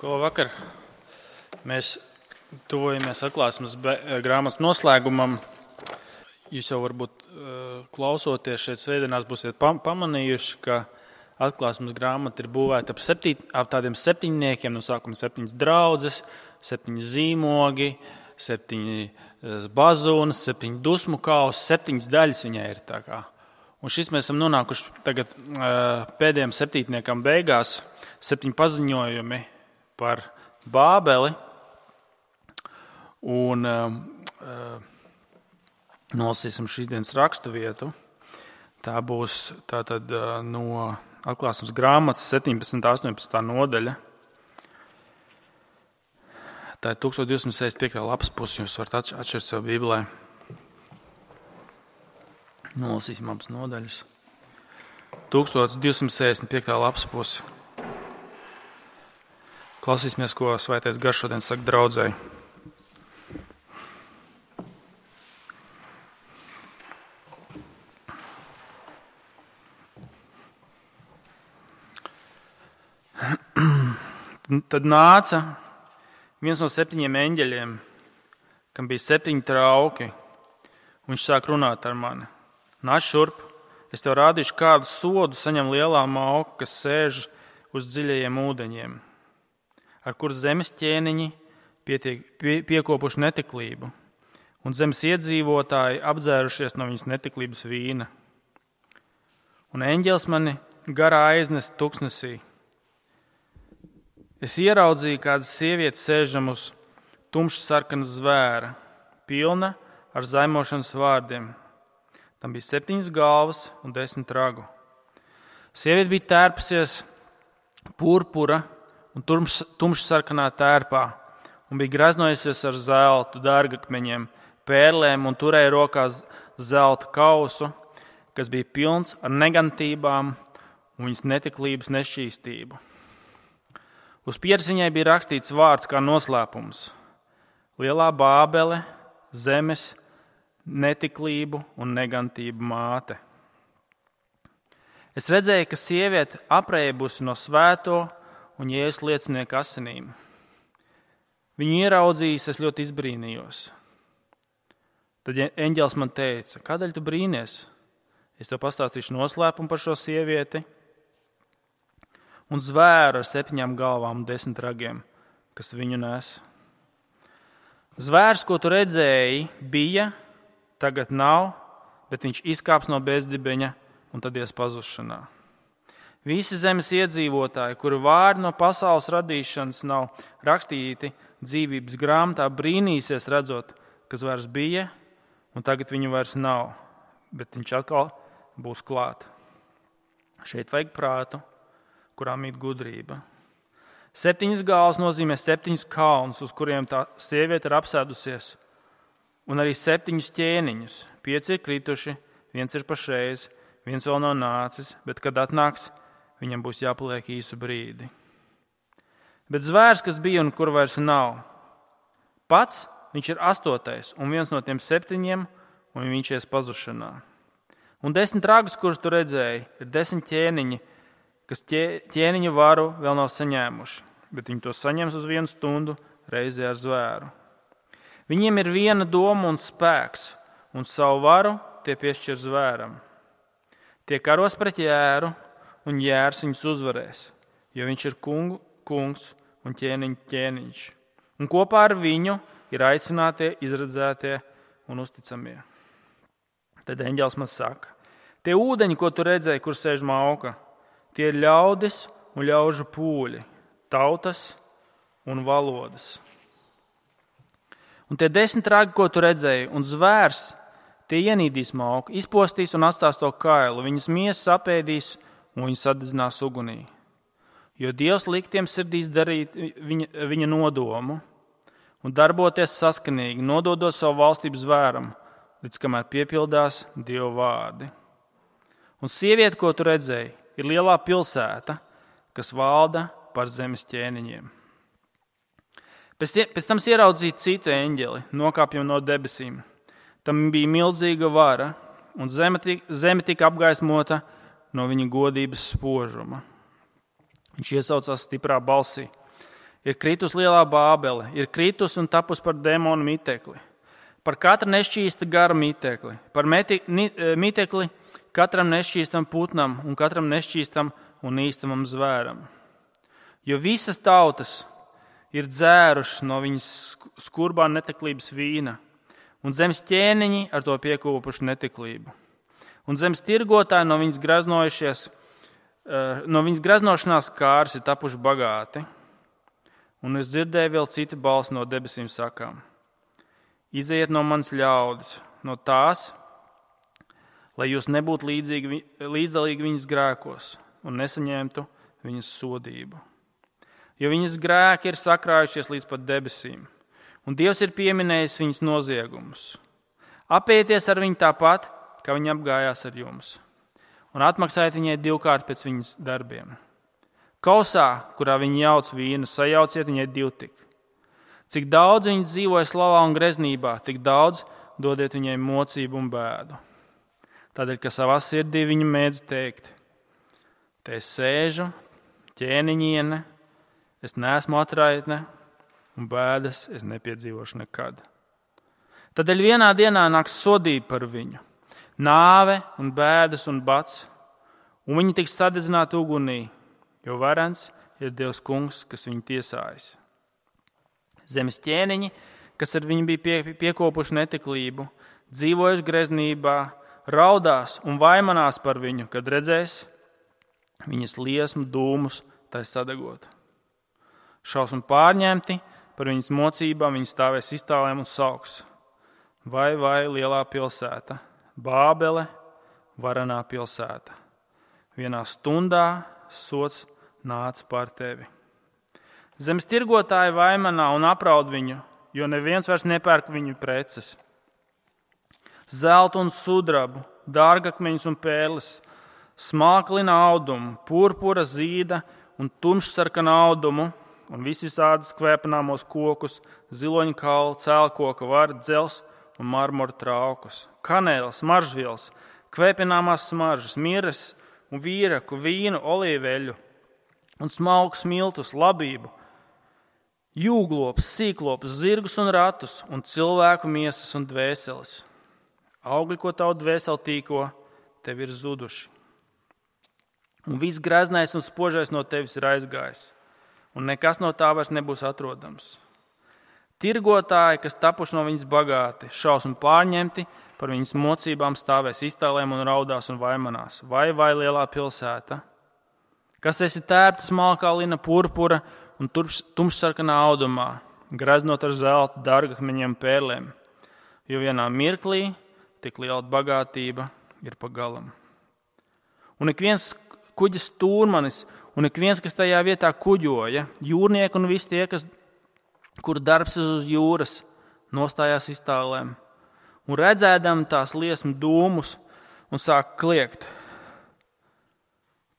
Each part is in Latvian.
Ko vakar mēs tuvojamies atklāsmes grāmatas noslēgumam. Jūs jau varbūt klausoties šeit svētdienās būsiet pamanījuši, ka atklāsmes grāmata ir būvēta ap tādiem septiņniekiem, no sākuma 7 draudzes, 7 zīmogi, 7 bazūnas, 7 dusmu kausi, 7 daļas viņai ir tā kā. Un šis mēs esam nonākuši tagad pēdējiem septītniekam beigās, 7 paziņojumi par Bābeli. Un nolasīsim šīsdienas raksturvietu. Tā būs tātad no atklāsmes grāmatas 17. 18. nodaļa. Tā ir 1265. lapas pusi, jūs varat atšķirt sev Bībelē. Nolasīsim abas nodaļas. 1265. lapas pusi. Klausīsimies, ko Svētais Gars šodien saka draudzei. Tad nāca viens no 7 eņģeļiem, kam bija 7 trauki, un viņš sāk runāt ar mani. Nāc šurp, es tev rādīšu, kādu sodu saņem lielā mauka, kas sēž uz dziļajiem ūdeņiem, ar kur zemes ķēniņi piekopuši netiklību, un zemes iedzīvotāji apdzērušies no viņas netiklības vīna. Un eņģelis mani garā aiznesa tuksnesī. Es ieraudzīju, kāda sieviete sēžam uz tumšas sarkanas zvēra, pilna ar zaimošanas vārdiem. Tam bija 7 galvas un 10 ragu. Sieviete bija tērpusies purpura un tumšas sarkanā tērpā, un bija greznojusies ar zeltu, dārgakmeņiem, pērlēm un turēja rokās zelta kausu, kas bija pilns ar negantībām un viņas netiklības nešķīstību. Uz pieres viņai bija rakstīts vārds kā noslēpums: Lielā Bābele, zemes, netiklību un negantību māte. Es redzēju, ka sieviete apreibusi no svēto un Jēzus liecinieku asinīm. Viņu ieraudzījis, es ļoti izbrīnījos. Tad eņģelis man teica: kādēļ tu brīnies? Es tev pastāstīšu noslēpumu par šo sievieti un zvēru ar 7 galvām un 10 ragiem, kas viņu nes. Zvērs, ko tu redzēji, bija, tagad nav, bet viņš izkāps no bezdibeņa un tad ies pazušanā. Visi zemes iedzīvotāji, kuru vārdi no pasaules radīšanas nav rakstīti dzīvības grāmatā, brīnīsies redzot, ka zvērs bija un tagad viņu vairs nav, bet viņš atkal būs klāt. Šeit vajag prātu, kurā mīt gudrība. 7 galvas nozīmē 7 kalnus, uz kuriem tā sieviete ir apsēdusies, un arī 7 ķēniņus. 5 ir krituši, 1 ir pašreiz, 1 vēl nav nācis, bet kad atnāks, viņam būs jāpaliek īsu brīdi. Bet zvērs, kas bija un kur vairs nav, pats viņš ir 8. un viens no tiem 7, un viņš ies pazušanā. Un 10 ragus, kurus tu redzēji, ir 10 ķēniņi, kas ķēniņa varu vēl nav saņēmuši, bet viņi to saņems uz 1 stundu reizē ar zvēru. Viņiem ir viena doma un spēks, un savu varu tie piešķir zvēram. Tie karos pret jēru, un jērs viņus uzvarēs, jo viņš ir kungs un ķēniņš. Un kopā ar viņu ir aicinātie, izredzētie un uzticamie. Tad eņģelis man saka: tie ūdeņi, ko tu redzēji, kur sēž mauka, tie ir ļaudis un ļaužu pūļi, tautas un valodas. Un tie 10 ragi, ko tu redzēji, un zvērs, tie ienīdīs mauku, izpostīs un atstās to kailu, viņas miesas apēdīs un viņu sadedzinās ugunī. Jo Dievs liek tiem sirdīs darīt viņa nodomu un darboties saskanīgi, nododot savu valstību zvēram, līdz kamēr piepildās Dieva vārdi. Un sieviete, ko tu redzēji, ir lielā pilsēta, kas valda par zemes ķēniņiem. Pēc tam ieraudzīju citu eņģeli, nokāpjam no debesīm. Tam bija milzīga vara, un zeme tika apgaismota no viņa godības spožuma. Viņš iesaucās stiprā balsī: ir kritus lielā Bābele, ir kritus un tapus par demonu mitekli, par katra nešķīsta gara mitekli, par mitekli katram nešķīstam putnam un katram nešķīstam un īstamam zvēram. Jo visas tautas ir dzērušas no viņas skurbā neteklības vīna, un zemes ķēniņi ar to piekūpuši neteklību. Un zemes tirgotāji no viņas graznošanās kārs ir tapuši bagāti. Un es dzirdēju vēl citu balsi no debesīm sakām: Izejiet no manas ļaudis, no tās, lai jūs nebūtu līdzdalīgi viņas grēkos un nesaņemtu viņas sodību. Jo viņas grēki ir sakrājušies līdz pat debesīm, un Dievs ir pieminējis viņas noziegumus. Apējieties ar viņu tāpat, kā viņa apgājās ar jums, un atmaksājiet viņai 2 kārtas pēc viņas darbiem. Kausā, kurā viņa jauc vīnu, sajauciet viņai 2 tik. Cik daudz viņa dzīvoja slavā un greznībā, tik daudz dodiet viņai mocību un bēdu. Tādēļ, ka savā sirdī viņa mēdz teikt: te es sēžu, ķēniņiene, es neesmu atraitne, un bēdas es nepiedzīvošu nekad. Tādēļ vienā dienā nāks sodība par viņu, nāve un bēdas un bats, un viņi tiks sadedzināti ugunī, jo varens ir Dievs kungs, kas viņu tiesājas. Zemes ķēniņi, kas ar viņu bija piekopuši neteklību, dzīvojuši greznībā, raudās un vaimanās par viņu, kad redzēs viņas liesmu dūmus tai sadegot. Šausmu pārņemti par viņas mocībām, viņi stāvēs iztālēm un sauks: vai lielā pilsēta, Bābele, varenā pilsēta. Vienā stundā sots nāca pār tevi. Zemes tirgotāji vaimanā un apraud viņu, jo neviens vairs nepērk viņu preces. Zeltu un sudrabu, dārgakmeņus un pērles, smalklina audumu, purpura, zīda un tumšsarkana audumu un visādas kvēpināmos kokus, ziloņu kaulu, cēlkoka varu, dzels un marmora traukus, kanēles, smaržvielas, kvēpināmās smaržas, miras un vīraku, vīnu, olīveļu un smalku smiltus, labību, jūglopus, sīklopus, zirgus un ratus un cilvēku miesas un dvēseles. Augļi, ko tavu dvēseli tīko, tev ir zuduši. Un viss greznais un spožais no tevis ir aizgājis, un nekas no tā vairs nebūs atrodams. Tirgotāji, kas tapuši no viņas bagāti, šausmu pārņemti, par viņas mocībām stāvēs iztālēm un raudās un vaimanās. Vai lielā pilsēta, kas esi tērpta smalkā lina, purpura un tumšsarkanā audumā, greznot ar zeltu, dārgakmeņiem, pērlēm, jo vienā mirklī tik liela bagātība ir pagalam. Un ik viens kuģa stūrmanis un ik viens, kas tajā vietā kuģoja, jūrnieki un visi tie, kur darbs uz jūras, nostājās iztālēm un redzēdam tās liesmu dūmus un sāk kliegt: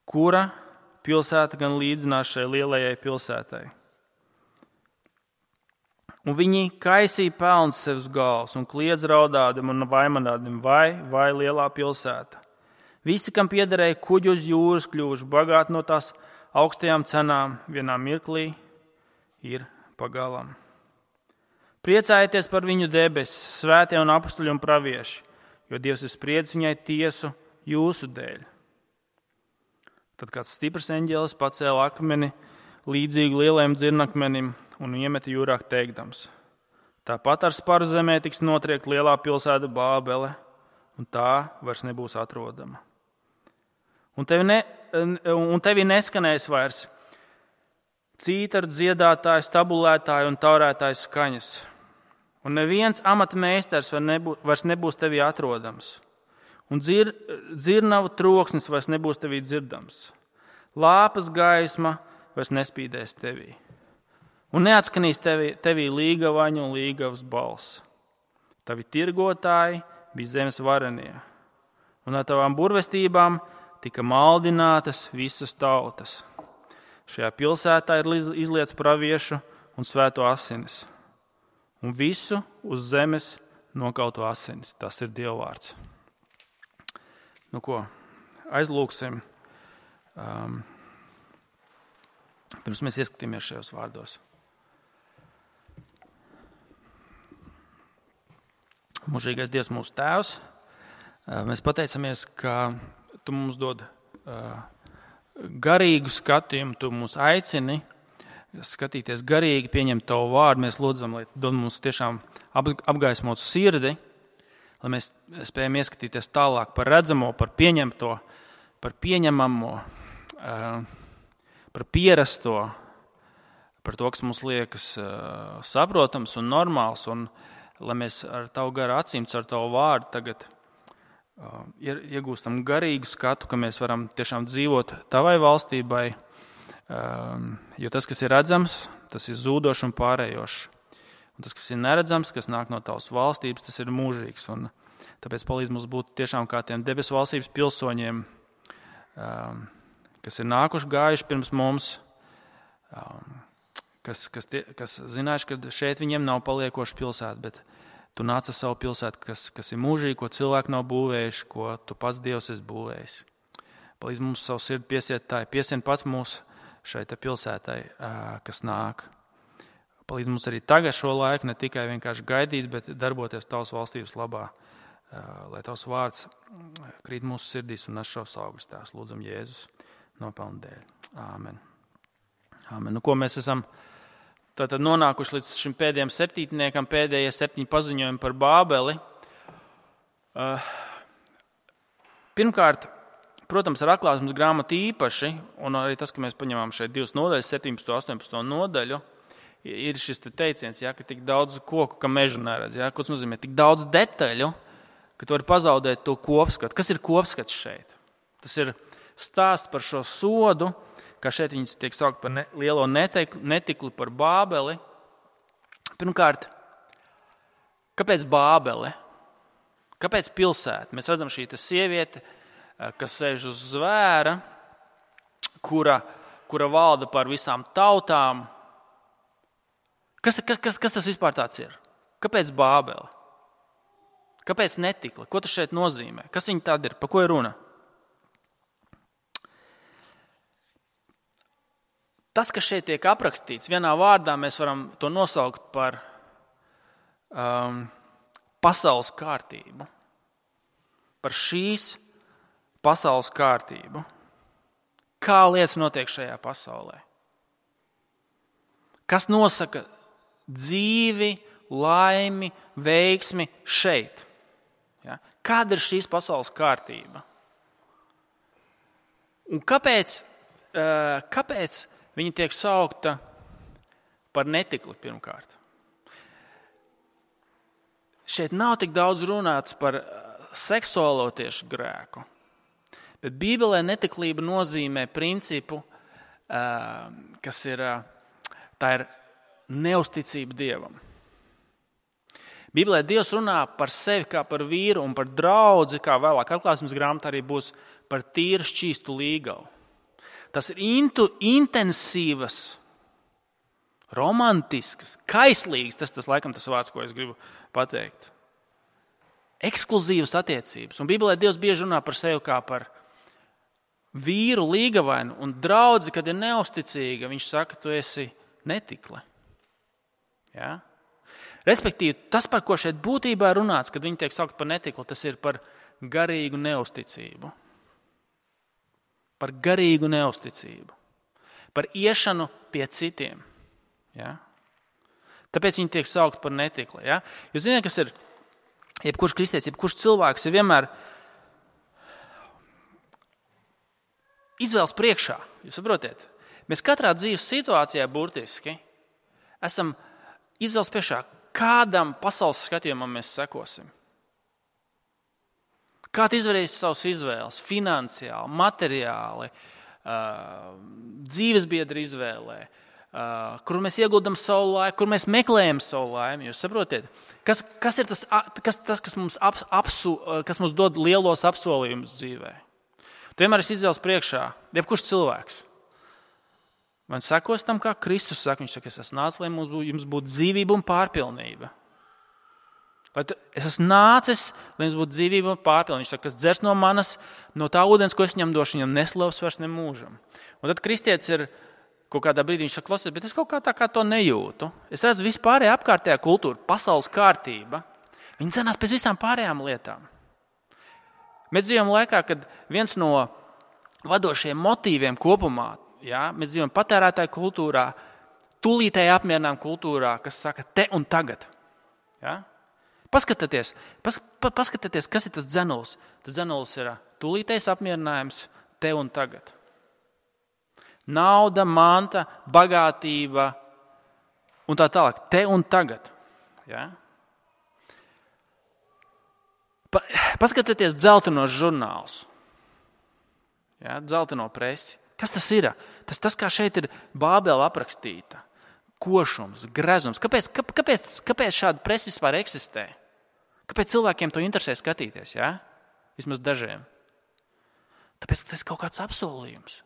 kura pilsēta gan līdzinās šai lielajai pilsētai? Un viņi kaisīja pelnus sev uz galvas un kliedz raudādam un vaimanādam: vai lielā pilsēta. Visi, kam piederēja kuģi uz jūras, kļuvuši bagāti no tās augstajām cenām, vienā mirklī ir pagalam. Priecājieties par viņu debesis, svētie un apustuļi un pravieši, jo Dievs ir spriedzis viņai tiesu jūsu dēļ. Tad kāds stiprs eņģelis pacēla akmeni līdzīgu lielajam dzirnakmenim un iemeta jūrā teikdams: tāpat ar sparu zemē tiks notriekt lielā pilsēta Bābele, un tā vairs nebūs atrodama. Un tevi neskanēs vairs cītaru dziedātāju, stabulētāju un taurētāju skaņas. Un neviens amata meistars vairs nebūs tevī atrodams. Un dzirnavu troksnis vairs nebūs tevī dzirdams. Lāpas gaisma vairs nespīdēs tevī. Un neatskanīs tevī līgavaņu un līgavas balss. Tavi tirgotāji bija zemes varenie, un ar tavām burvestībām tika maldinātas visas tautas. Šajā pilsētā ir izlietas praviešu un svēto asinis, un visu uz zemes nokautu asinis. Tas ir Dieva vārds. Nu ko, aizlūksim, pirms mēs ieskatīmies šajos vārdos. Mūžīgais Dievs, mūsu Tēvs, mēs pateicamies, ka Tu mums dod garīgu skatījumu, Tu mūs aicini skatīties garīgi, pieņemt Tavu vārdu. Mēs lūdzam, lai dod mums tiešām apgaismot sirdi, lai mēs spējam ieskatīties tālāk par redzamo, par pieņemto, par pieņemamo, par pierasto, par to, kas mums liekas saprotams un normāls, un lai mēs ar Tavu garu acīm, ar Tavu vārdu tagad iegūstam garīgu skatu, ka mēs varam tiešām dzīvot Tavai valstībai, jo tas, kas ir redzams, tas ir zūdošs un pārējošs. Un tas, kas ir neredzams, kas nāk no Tavas valstības, tas ir mūžīgs. Un tāpēc palīdz mums būt tiešām kā tiem debesu valstības pilsoņiem, kas ir nākuši gājuši pirms mums, kas zinājuši, ka šeit viņiem nav paliekoša pilsēta, bet Tu nāc ar savu pilsētu, kas ir mūžīgi, ko cilvēki nav būvējuši, ko Tu pats Dievs esi būvējis. Palīdz mums savu sirdi piesiet piesien pats mūs šai pilsētai, kas nāk. Palīdz mums arī tagad šo laiku ne tikai vienkārši gaidīt, bet darboties Tavas valstības labā, lai Tavs vārds krīt mūsu sirdīs un nes šos augus Tēvs. Lūdzam Jēzus nopelnu dēļ. Āmen. Āmen. Nu, ko mēs esam tātad nonākuši līdz šim pēdējiem septītniekam, pēdējie 7 paziņojumi par Bābeli. Pirmkārt, protams, ar Atklāsmes grāmatu īpaši, un arī tas, ka mēs paņemam šeit 2 nodaļas, 17. un 18. nodaļu, ir šis teiciens, ka tik daudz koku, ka mežu neredz. Ko tas nozīmē? Tik daudz detaļu, ka tu vari pazaudēt to kopskatu. Kas ir kopskats šeit? Tas ir stāsts par šo sodu, kā šeit viņas tiek saukt par lielo netikli, par Bābeli. Pirmkārt, kāpēc Bābele? Kāpēc pilsēta? Mēs redzam šī sieviete, kas sēž uz zvēra, kura valda par visām tautām. Kas tas vispār tāds ir? Kāpēc Bābele? Kāpēc netikla? Ko tas šeit nozīmē? Kas viņa tāda ir? Par ko ir runa? Tas, kas šeit tiek aprakstīts, vienā vārdā mēs varam to nosaukt par pasaules kārtību. Par šīs pasaules kārtību. Kā lietas notiek šajā pasaulē? Kas nosaka dzīvi, laimi, veiksmi šeit? Ja? Kāda ir šīs pasaules kārtība? Un kāpēc viņa tiek saukta par netikli pirmkārt? Šeit nav tik daudz runāts par seksuālo tieši grēku, bet Bībelē netiklība nozīmē principu, kas ir neusticība Dievam. Bībelē Dievs runā par sevi kā par vīru un par draudzi, kā vēlāk Atklāsmes grāmatā arī būs par tīru šķīstu līgavu. Tas ir intensīvas, romantiskas, kaislīgas, tas laikam tas vārds, ko es gribu pateikt. Ekskluzīvas attiecības. Un Bībelē Dievs bieži runā par sevi kā par vīru līgavainu un draudzi, kad ir neusticīga, viņš saka, tu esi netikle. Ja? Respektīvi, tas, par ko šeit būtībā runāts, kad viņi tiek saukt par netikli, tas ir par garīgu neusticību. Par garīgu neusticību. Par iešanu pie citiem. Ja? Tāpēc viņi tiek saukt par netikli. Ja? Jūs zināt, kas ir jebkurš kristietis, jebkurš cilvēks ir vienmēr izvēles priekšā. Jūs saprotiet? Mēs katrā dzīves situācijā burtiski esam izvēles priekšā, kādam pasaules skatījumam mēs sekosim. Kā tu izdarīsi savas izvēles, finansiāli, materiāli, dzīvesbiedra izvēlē, kur mēs ieguldam savu laiku, kur mēs meklējam savu laimi. Jūs saprotiet, kas ir kas mums dod lielos apsolījumus dzīvē? Tu vienmēr esi izvēles priekšā, jebkurš cilvēks. Man sekos tam, kā Kristus saka, viņš saka, es esmu nācis, lai jums būtu dzīvība un pārpilnība. Es esmu nācis, lai jums būtu dzīvība un pārpilnība. Viņš saka, kas dzers no manas, no tā ūdens, ko es viņam došu, viņam neslavs vairs nemūžam. Un tad kristietis ir kaut kādā brīdī, viņš saka, klausies, bet es kaut kā to nejūtu. Es redzu vispārējā apkārtējā kultūra, pasaules kārtība. Viņi dzenās pēc visām pārējām lietām. Mēs dzīvojam laikā, kad viens no vadošajiem motīviem kopumā, mēs dzīvojam patērētāju kultūrā, tūlītēji apmierinām kultūrā, kas saka te un tagad. Ja? Paskatieties, kas ir tas dzenulis. Tas dzenulis ir tūlītējs apmierinājums te un tagad. Nauda, manta, bagātība un tā tālāk. Te un tagad. Ja? Paskatieties dzeltenos žurnālus. Ja? Dzelteno presi. Kas tas ir? Tas kā šeit ir Bābele aprakstīta. Košums, grezums. Kāpēc šāda presa vispār eksistē? Kāpēc cilvēkiem to interesē skatīties? Ja? Vismaz dažiem. Tāpēc, ka tas ir kaut kāds apsolījums.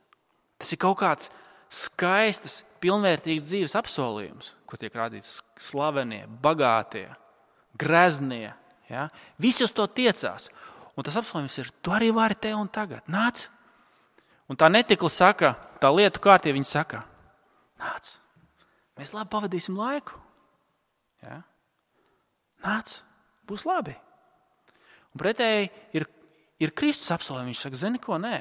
Tas ir kaut kāds skaistas, pilnvērtīgs dzīves apsolījums, kur tiek rādīts slavenie, bagātie, greznie. Ja? Visi uz to tiecās. Un tas apsolījums ir, tu arī vari te un tagad. Nāc. Un tā netikla saka, tā lietu kārtība viņa saka, nāc, mēs labi pavadīsim laiku. Ja? Nāc, būs labi. Un pretēji ir Kristus apsolījums. Viņš saka, zini ko, nē.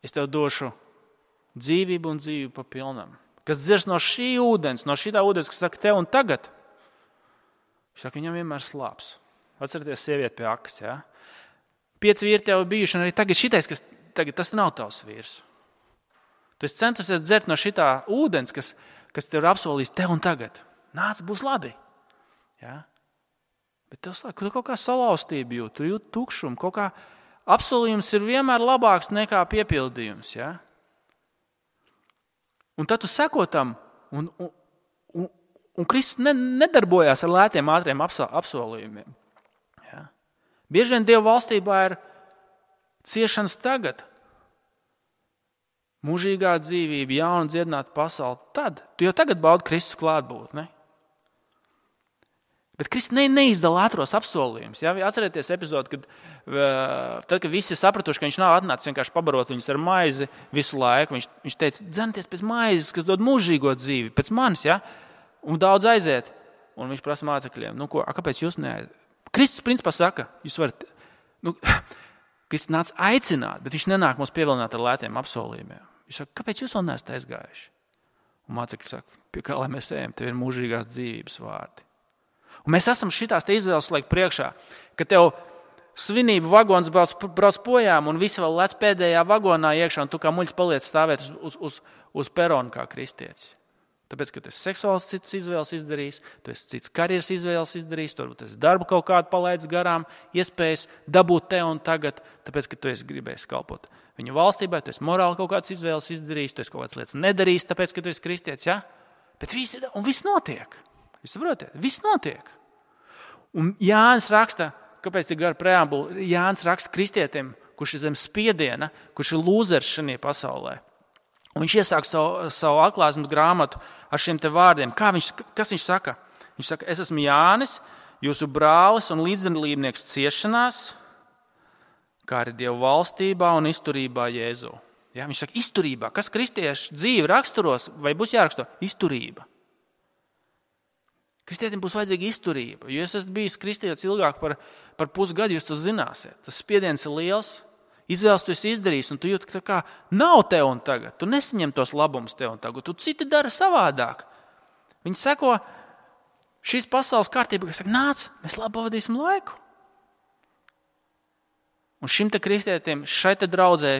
Es tev došu dzīvību un dzīvību pa pilnam. Kas dzers no šī ūdens, no šitā ūdens, kas saka te un tagad. Viņš saka, viņam vienmēr slāps. Atcerieties sievieti pie akas, ja? 5 vīri tev bijuši, un arī tagad šitais, kas tagad tas nav tavs vīrs. Tu esi centusies dzert no šitā ūdens, kas tev ir apsolījis te un tagad. Nāc, būs labi. Ja? Bet tev slāk, tu kaut kā salauztība jūt, tu jūt tukšumu, kaut kā apsolījums ir vienmēr labāks nekā piepildījums. Ja? Un tad tu seko tam, un Kristus nedarbojās ar lētiem, ātriem apsolījumiem. Ja? Bieži vien Dieva valstībā ir ciešanas tagad, mūžīgā dzīvība, jauna dziedināta pasaule. Tad, tu jau tagad baudi Kristus klātbūtni. Bet Kristus neizdala ātros apsolījumus. Ja? Atcerieties epizodi, kad visi sapratuši, ka viņš nav atnācis vienkārši pabarot viņus ar maizi visu laiku. Viņš teica, dzenieties pēc maizes, kas dod mūžīgo dzīvi, pēc manis, ja? Un daudz aiziet. Un viņš prasa mācekļiem, kāpēc jūs neaiziet? Kristus principā saka, jūs varat, Kristus nāca aicināt, bet viņš nenāk mums pievilināt ar lētiem apsolījumiem. Viņš saka, kāpēc jūs vēl neesat aizgājuši? Un mācekļi saka, pie kā lai mēs ejam, tev ir mūžīgās dzīvības vārdi. Un mēs esam šitās te izvēles laik priekšā, ka tev svinību vagons brauc projām un visi vēl lec pēdējā vagonā iekšā un tu kā muļs paliec stāvēt uz peronu kā kristietis. Tāpēc, ka tu esi seksuāls cits izvēles izdarījis, tu esi cits karjeras izvēles izdarījis, tu esi darbu kaut kādu palaidis garām, iespējas dabūt te un tagad, tāpēc, ka tu esi gribējis kalpot viņu valstībai, tu esi morāli kaut kādas izvēles izdarījis, tu esi kaut kādas lietas nedarījis, tāpēc, ka tu esi kristietis, ja? Bet viss notiek. Jūs saprotiet? Viss notiek. Un Jānis raksta, kāpēc tik gara preambula, Jānis raksta kristietim, kurš ir zem spiediena, kurš ir lūzers šajā pasaulē. Un viņš iesāk savu atklāsmes grāmatu ar šiem te vārdiem. Kas viņš saka? Viņš saka, es esmu Jānis, jūsu brālis un līdzdalībnieks ciešanās, kā arī Dieva valstībā un izturībā Jēzu. Ja, viņš saka, izturībā. Kas kristiešu dzīvi raksturos vai būs jāraksto? Izturība. Kristietim būs vajadzīga izturība. Jo es esmu bijis kristietis ilgāk par pusgadu, jūs to zināsiet. Tas spiediens ir liels. Izvēles tu esi izdarījis, un tu jūti, ka tā kā nav tev un tagad. Tu nesaņem tos labumus tev un tagad. Tu citi dara savādāk. Viņi seko šīs pasaules kārtība, kas saka, nāc, mēs labi pavadīsim laiku. Un šim te kristietim, šai te draudzē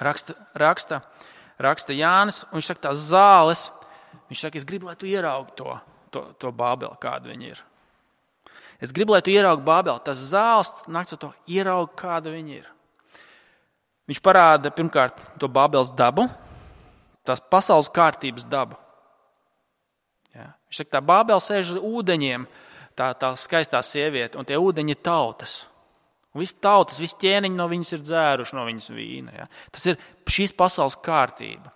raksta Jānis, un viņš saka, tās zāles, viņš saka, es gribu, lai tu ieraugi to Bābeli, kāda viņa ir. Es gribu, lai tu ieraugi Bābeli. Tas zāles nāks ar to ieraugi, kāda viņa ir. Viņš parāda pirmkārt to Bābeles dabu, tās pasaules kārtības dabu. Ja? Viņš saka, tā Bābele sēž uz ūdeņiem, tā skaistā sieviete, un tie ūdeņi ir tautas. Un visi tautas, visi ķēniņi no viņas ir dzēruši no viņas vīna. Ja? Tas ir šīs pasaules kārtība.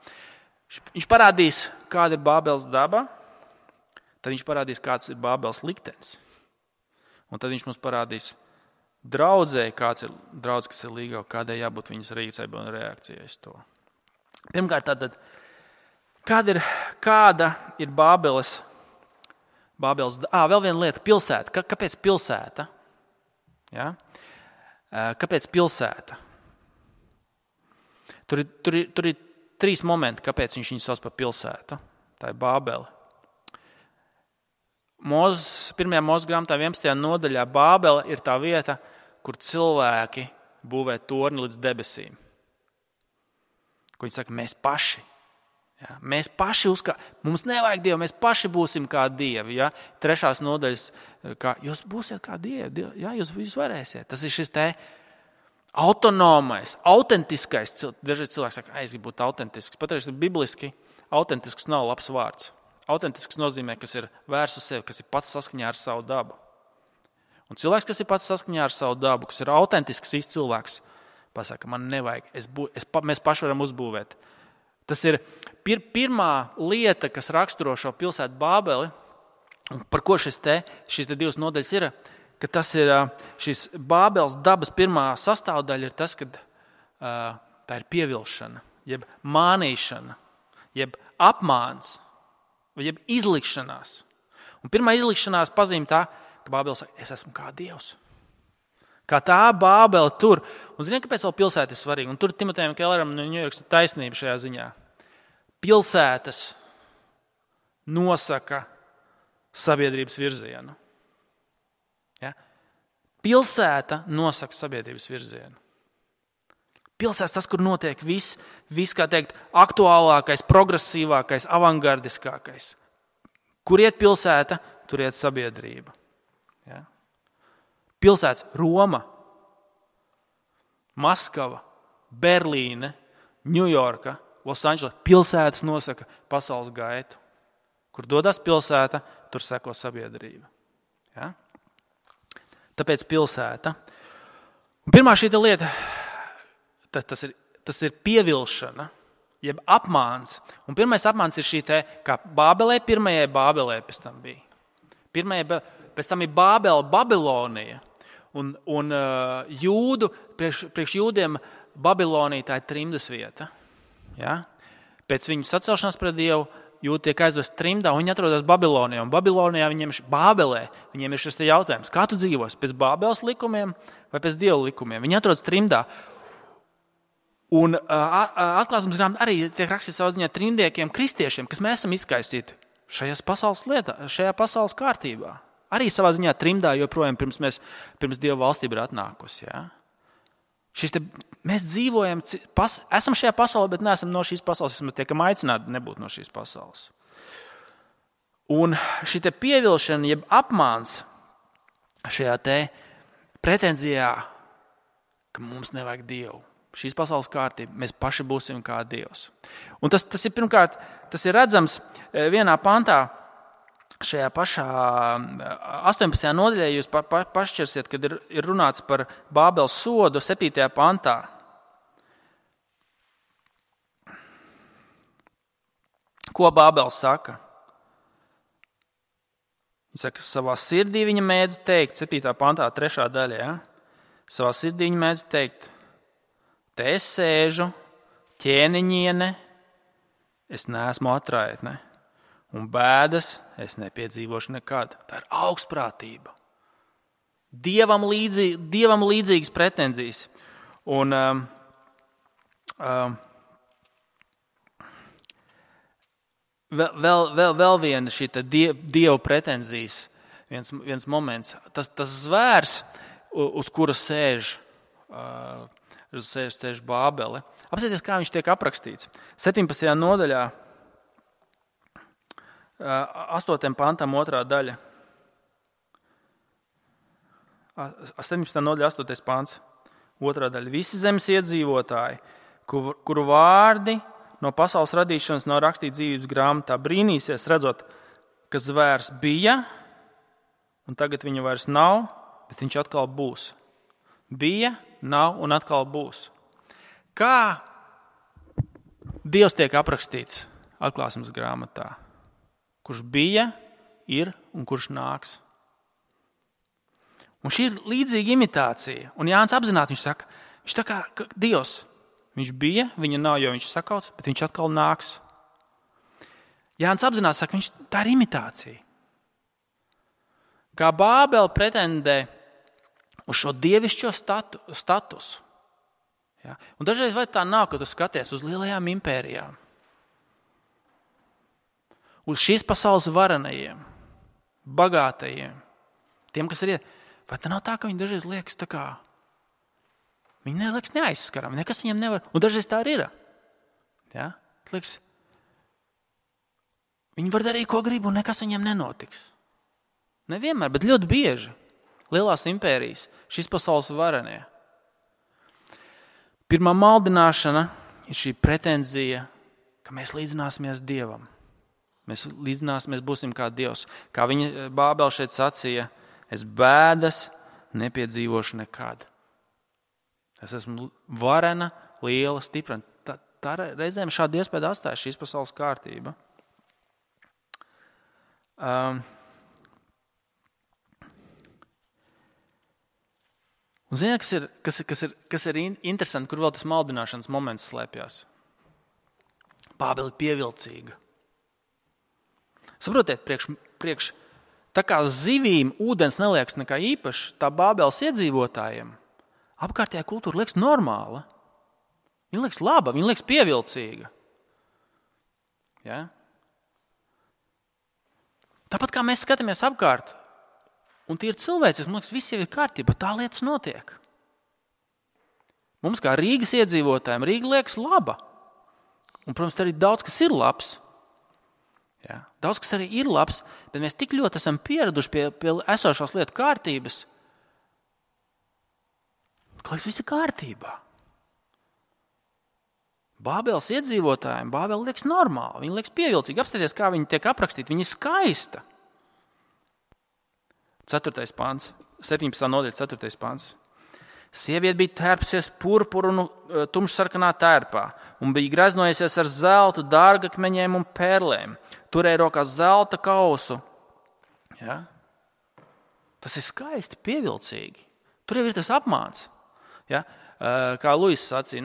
Viņš parādīs, kāda ir Bābeles daba, tad viņš parādīs, kāds ir Bābeles liktenis. Un tad viņš mums parādīs draudzēji, kāds ir draudz, kas ir līgava, kādai jābūt viņas rīcībai un reakcijai uz to. Pirmkārt, tātad, Kāda ir Bābeles? Vēl viena lieta, pilsēta. Kāpēc pilsēta? Ja? Kāpēc pilsēta? Tur ir 3 momenti, kāpēc viņš viņu sauc par pilsētu. Tā ir Bābele. 1. Mūzes grāmatā 11. nodaļā Bābele ir tā vieta, kur cilvēki būvē torni līdz debesīm. Ko viņi saka, mēs paši. Ja? Mēs paši mums nevajag Dievu, mēs paši būsim kā Dievi. Ja? 3. nodaļas, kā jūs būsiet kā Dievi, ja? jūs varēsiet. Tas ir šis te autonomais, autentiskais. Daži cilvēki saka, es gribu būt autentisks. Patreiz bibliski autentisks nav labs vārds. Autentisks nozīmē, kas ir vērsts uz sevi, kas ir pats saskaņā ar savu dabu. Un cilvēks, kas ir pats saskaņā ar savu dabu, kas ir autentisks īsts cilvēks, pasaka, man nevajag, mēs paši varam uzbūvēt. Tas ir pirmā lieta, kas raksturo šo pilsētu Bābeli, un par ko šīs te 2 nodaļas ir, ka tas ir šis Bābeles dabas pirmā sastāvdaļa ir tas, ka tā ir pievilšana, jeb mānīšana, jeb apmāns, jeb izlikšanās. Un pirmā izlikšanās pazīme tā, ka Bābele saka, es esmu kā Dievs. Kā tā Bābele tur. Un ziniet, kāpēc vēl pilsēta ir svarīga? Un tur Timotejam Kelleram no Ņujorkas ir taisnība šajā ziņā. Pilsētas nosaka sabiedrības virzienu. Ja? Pilsēta nosaka sabiedrības virzienu. Pilsētas tas, kur notiek viss, kā teikt, aktuālākais, progresīvākais, avangardiskākais. Kur iet pilsēta, tur iet sabiedrība. Ja? Pilsētas Roma, Maskava, Berlīne, Ņujorka, Losandžela. Pilsētas nosaka pasaules gaitu. Kur dodas pilsēta, tur seko sabiedrība. Ja? Tāpēc pilsēta. Un pirmā šī lieta, tas ir pievilšana, jeb apmāns. Un pirmais apmāns ir šī te, kā Bābelē, pirmajai Bābelē pēc tam bija. Pēc tam ir Bābele, Babilonija. Un jūdu, priekš jūdiem Babilonija tā ir trimdas vieta. Ja? Pēc viņu sacelšanās pret Dievu jūdi tiek aizvest trimdā, un viņi atrodas Babilonijā. Un Babilonijā Bābelē viņiem ir šis te jautājums, kā tu dzīvos, pēc Bābeles likumiem vai pēc Dieva likumiem? Viņi atrodas trimdā. Un atklāsmes grāmatā arī tiek rakstīts savā ziņā trimdiekiem, kristiešiem, kas mēs esam izkaisīti šajā pasaules kārtībā. Arī savā ziņā trimdā joprojām pirms Dieva valstība ir atnākusi. Ja? Mēs dzīvojam, esam šajā pasaulē, bet neesam no šīs pasaules, mēs tiekam aicināti nebūt no šīs pasaules. Un šī te pievilšana, jeb apmāns šajā te pretenzijā, ka mums nevajag Dievu. Šīs pasaules kārtība, mēs paši būsim kā Dievs. Un tas ir pirmkārt, tas ir redzams vienā pantā, šajā pašā 18. nodaļā, jūs pašķersiet, kad ir runāts par Bābeles sodu 7. pantā. Ko Bābeles saka? Viņa saka, savā sirdī viņa mēdz teikt, 7. pantā, 3. daļā, ja? Savā sirdī viņa mēdz teikt, te es sēžu, ķēniņiene, es neesmu atraitne, un bēdas es nepiedzīvošu nekad. Tā ir augstprātība. Dievam līdzīgas pretenzijas. Un vēl viena šī Dieva pretenzijas viens moments. Tas zvērs, uz kura sēž Bābele. Apsieties, kā viņš tiek aprakstīts. 17. nodaļā, 8. pantam, 2. daļa. 17. nodaļa, 8. pants, 2. daļa. Visi zemes iedzīvotāji, kuru vārdi no pasaules radīšanas nav rakstīti dzīvības grāmatā, brīnīsies, redzot, ka zvērs bija, un tagad viņa vairs nav, bet viņš atkal būs. Bija, nav un atkal būs. Kā Dievs tiek aprakstīts atklāsmes grāmatā? Kurš bija, ir un kurš nāks. Un šī ir līdzīga imitācija. Un Jānis apzināti viņš saka, viņš tā kā Dievs. Viņš bija, viņa nav, jo viņš sakauts, bet viņš atkal nāks. Jānis apzinās, saka, tā ir imitācija. Kā Bābele pretendē uz šo dievišķo statusu. Ja? Un dažreiz vai tā nav, ka tu skaties uz lielajām impērijām, uz šīs pasaules varenajiem, bagātajiem, tiem, kas ir vai tā nav tā, ka viņi dažreiz liekas tā kā, viņi neliekas neaizskaram, nekas viņam nevar, un dažreiz tā arī ir. Ja? Liekas, viņi var darīt, ko grib, un nekas viņam nenotiks. Nevienmēr, bet ļoti bieži lielās impērijas, šīs pasaules varenie. Pirmā maldināšana ir šī pretenzija, ka mēs līdzināsimies Dievam. Mēs līdzināsimies, būsim kā Dievs. Kā viņa Bābele šeit sacīja, es bēdas nepiedzīvošu nekad. Es esmu varena, liela, stipra. Tā reizēm šādu iespēju atstāja šīs pasaules kārtība. Un ziniet, kas ir interesanti, kur vēl tas maldināšanas moments slēpjas? Bābele ir pievilcīga. Saprotiet, priekš tā kā zivīm ūdens neliekas nekā īpaši, tā Bābeles iedzīvotājiem apkārtējā kultūra liekas normāla. Viņa liekas laba, viņa liekas pievilcīga. Ja? Tāpat kā mēs skatāmies apkārt, un tie ir cilvēci, man liekas, viss jau ir kārtība, tā lietas notiek. Mums kā Rīgas iedzīvotājiem Rīga liekas laba. Un, protams, arī daudz, kas ir labs. Ja? Daudz, kas arī ir labs, bet mēs tik ļoti esam pieraduši pie esošās lietu kārtības, ka viss ir kārtībā. Bābeles iedzīvotājiem Bābele liekas normāli, viņa liekas pievilcīgi. Apstāties, kā viņa tiek aprakstīta, viņa ir skaista. 4. pants, 17. nodaļa, 4. pants. Sieviete bija tērpsies purpuru un tumšsarkanā tērpā un bija greznojusies ar zeltu, dārgakmeņiem un perlēm. Turēja rokā zelta kausu. Ja? Tas ir skaisti, pievilcīgi. Tur jau ir tas apmāns. Ja? Kā Luis sacīja,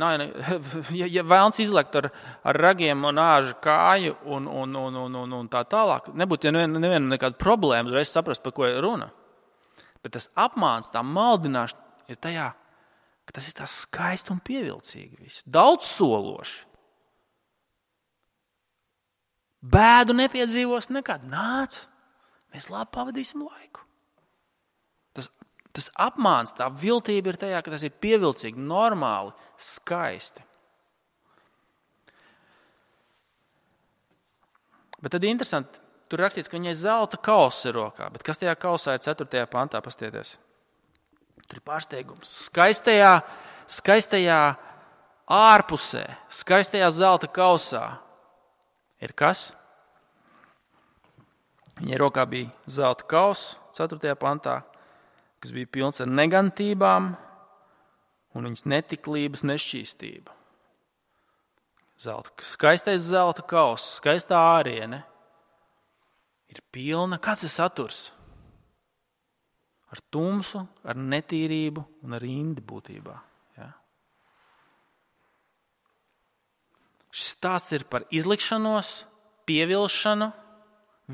ja vēlns izlekt ar ragiem un āžu kāju un tā tālāk, nebūtu neviena nekāda problēma, uzreiz saprast, par ko ir runa. Bet tas apmāns, tā maldināšana ir tajā, ka tas ir tā skaisti un pievilcīgi viss. Daudz sološi. Bēdu nepiedzīvos nekad. Nāc, mēs labi pavadīsim laiku. Tas apmāns, tā viltība ir tajā, ka tas ir pievilcīgi, normāli, skaisti. Bet tad interesanti, tur rakstīts, ka viņai zelta kauss ir rokā. Bet kas tajā kausā ir 4. pantā? Pastieties. Tur ir pārsteigums. Skaistajā ārpusē, skaistajā zelta kausā ir kas? Viņai rokā bija zelta kauss 4. pantā, kas bija pilns ar negantībām un viņas netiklības nešķīstība. Skaistais zelta kauss, skaistā āriene ir pilna. Kāds ir saturs? Ar tumsu, ar netīrību un ar indi būtībā. Ja? Šis stāsts ir par izlikšanos, pievilšanu,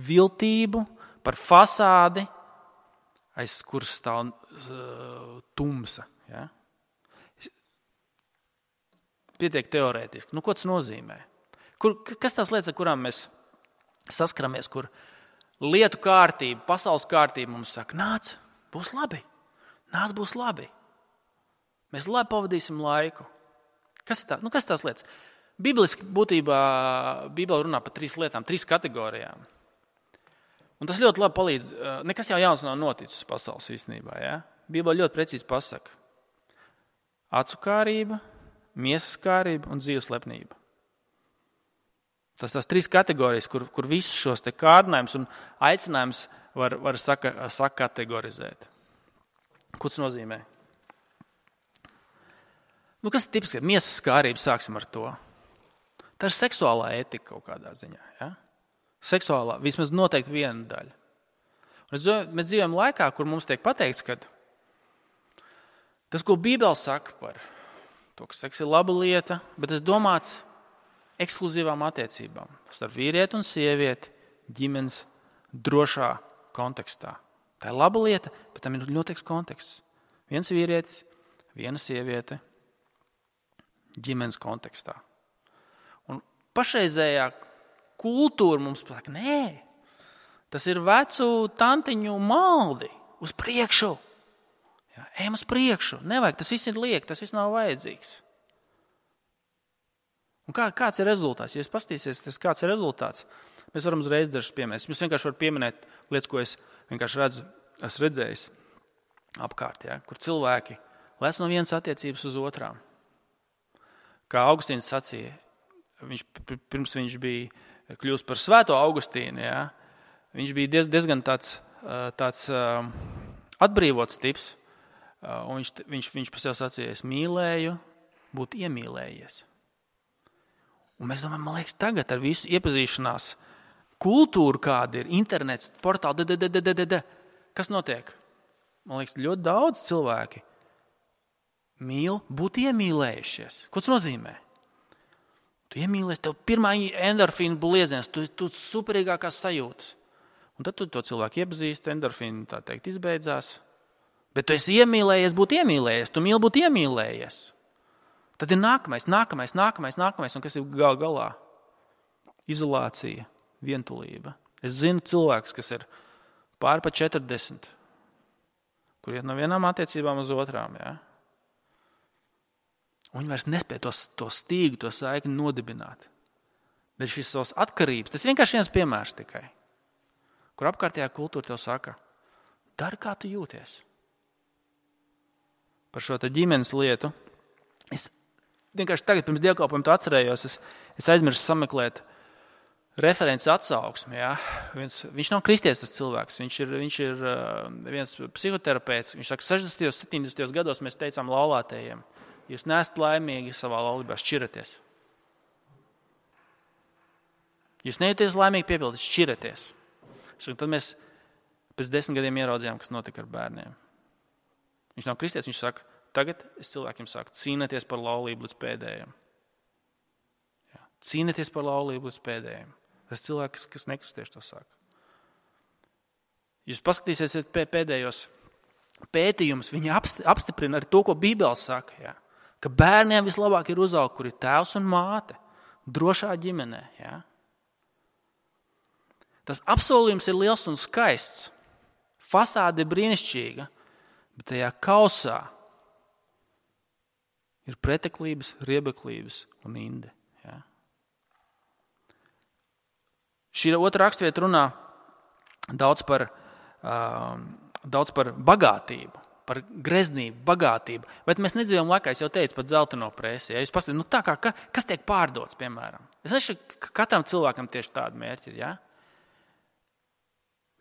viltību, par fasādi, aiz kuras stāv tumsa. Ja? Pietiek teorētiski. Ko tas nozīmē? Kas tās lietas, ar kurām mēs saskaramies, kur lietu kārtība, pasaules kārtība mums saka, nāc, būs labi. Nāc, būs labi. Mēs labi pavadīsim laiku. Kas ir kas tās lietas? Bibliski būtībā Bībele runā par 3 lietām, 3 kategorijām. Un tas ļoti labi palīdz. Nekas jau jauns nav noticis pasaules īstenībā. Ja? Bībele ļoti precīzi pasaka. Acu kārība, miesas kārība un dzīves lepnība. Tas 3 kategorijas, kur visus šos te kārdinājumus un aicinājums var sakategorizēt. Ko tas nozīmē? Kas ir tipiski? Miesas kārība, sāksim ar to. Tā ir seksuālā etika kaut kādā ziņā. Ja? Seksuālā, vismaz noteikti viena daļa. Mēs dzīvojam laikā, kur mums tiek pateikts, ka tas, ko Bībele saka par to, ka seks ir laba lieta, bet tas domāts ekskluzīvām attiecībām starp vīrieti un sievieti ģimenes drošā kontekstā. Tā ir laba lieta, bet tam ir noteikts konteksts. Viens vīrietis, viena sieviete ģimenes kontekstā. Un pašreizējā kultūra mums pasaka, nē, tas ir vecu tantiņu maldi uz priekšu. Jā, ejam uz priekšu. Nevajag, tas viss ir liek, tas viss nav vajadzīgs. Un kāds ir rezultāts? Ja jūs paskatīsieties, kāds ir rezultāts, mēs varam uzreiz dažus pieminēt. Jūs vienkārši varat pieminēt lietas, ko es vienkārši esmu redzējis apkārt, ja, kur cilvēki lec no vienas attiecības uz otrām. Kā Augustīns sacīja, pirms viņš bija kļūst par svēto Augustīnu, ja, viņš bija diezgan tāds atbrīvots tips, un viņš par sevi sacīja, es mīlēju, būt iemīlējies. Un mēs domājam, man liekas, tagad ar visu iepazīšanās kultūru, kāda ir, internets, portāli, kas notiek? Man liekas, ļoti daudz cilvēki mīl būt iemīlējušies. Ko tas nozīmē? Tu iemīlies, tev pirmā endorfīna blieziens, tu superīgākās sajūtas. Un tad tu to cilvēku iepazīsti, endorfīna, tā teikt, izbeidzās. Bet tu esi iemīlējies būt iemīlējies, tu mīli būt iemīlējies. Tad ir nākamais, un kas ir galā? Izolācija, vientulība. Es zinu cilvēkus, kas ir pār pa 40, kur iet no vienām attiecībām uz otrām. Ja? Un viņi vairs nespēja to stīgu, to saikni nodibināt. Bet šīs savas atkarības, tas ir vienkārši viens piemērs tikai, kur apkārtējā kultūra tev saka, dari, kā tu jūties. Par šo ģimenes lietu. Es vienkārši tagad pirms dievkalpojuma to atcerējos, es aizmirsu sameklēt referents atsauksmi. Ja? Viņš nav kristietis tas cilvēks, viņš ir viens psihoterapeits. Viņš saka, 60. 70. gados mēs teicām laulātējiem, jūs neesat laimīgi savā laulībā, šķiraties. Jūs nejūties laimīgi piepildīt, šķiraties. Tad mēs pēc 10 gadiem ieraudzījām, kas notika ar bērniem. Viņš nav kristietis, viņš saka, tagad es cilvēkiem saku, cīnieties par laulību līdz pēdējiem. Jā. Cīnieties par laulību līdz pēdējiem. Tas cilvēks, kas nekristieši to saka. Jūs paskatīsiet pēdējos pētījumus, viņi apstiprina arī to, ko Bībele saka. Jā. Ka bērniem vislabāk ir uzaugt, kur ir tēvs un māte, drošā ģimenē. Jā. Tas apsolījums ir liels un skaists. Fasāde ir brīnišķīga, bet tajā kausā ir preteklības, riebeklības un inde. Ja? Šī otra rakstvieta runā daudz par bagātību, par greznību, bagātību. Bet mēs nedzīvojam laikā, es jau teicu, pat zeltaino presi. Ja? Jūs paskatāt, tā kā, kas tiek pārdots, piemēram? Es nezinu, ka katram cilvēkam tieši tāda mērķi ir. Ja?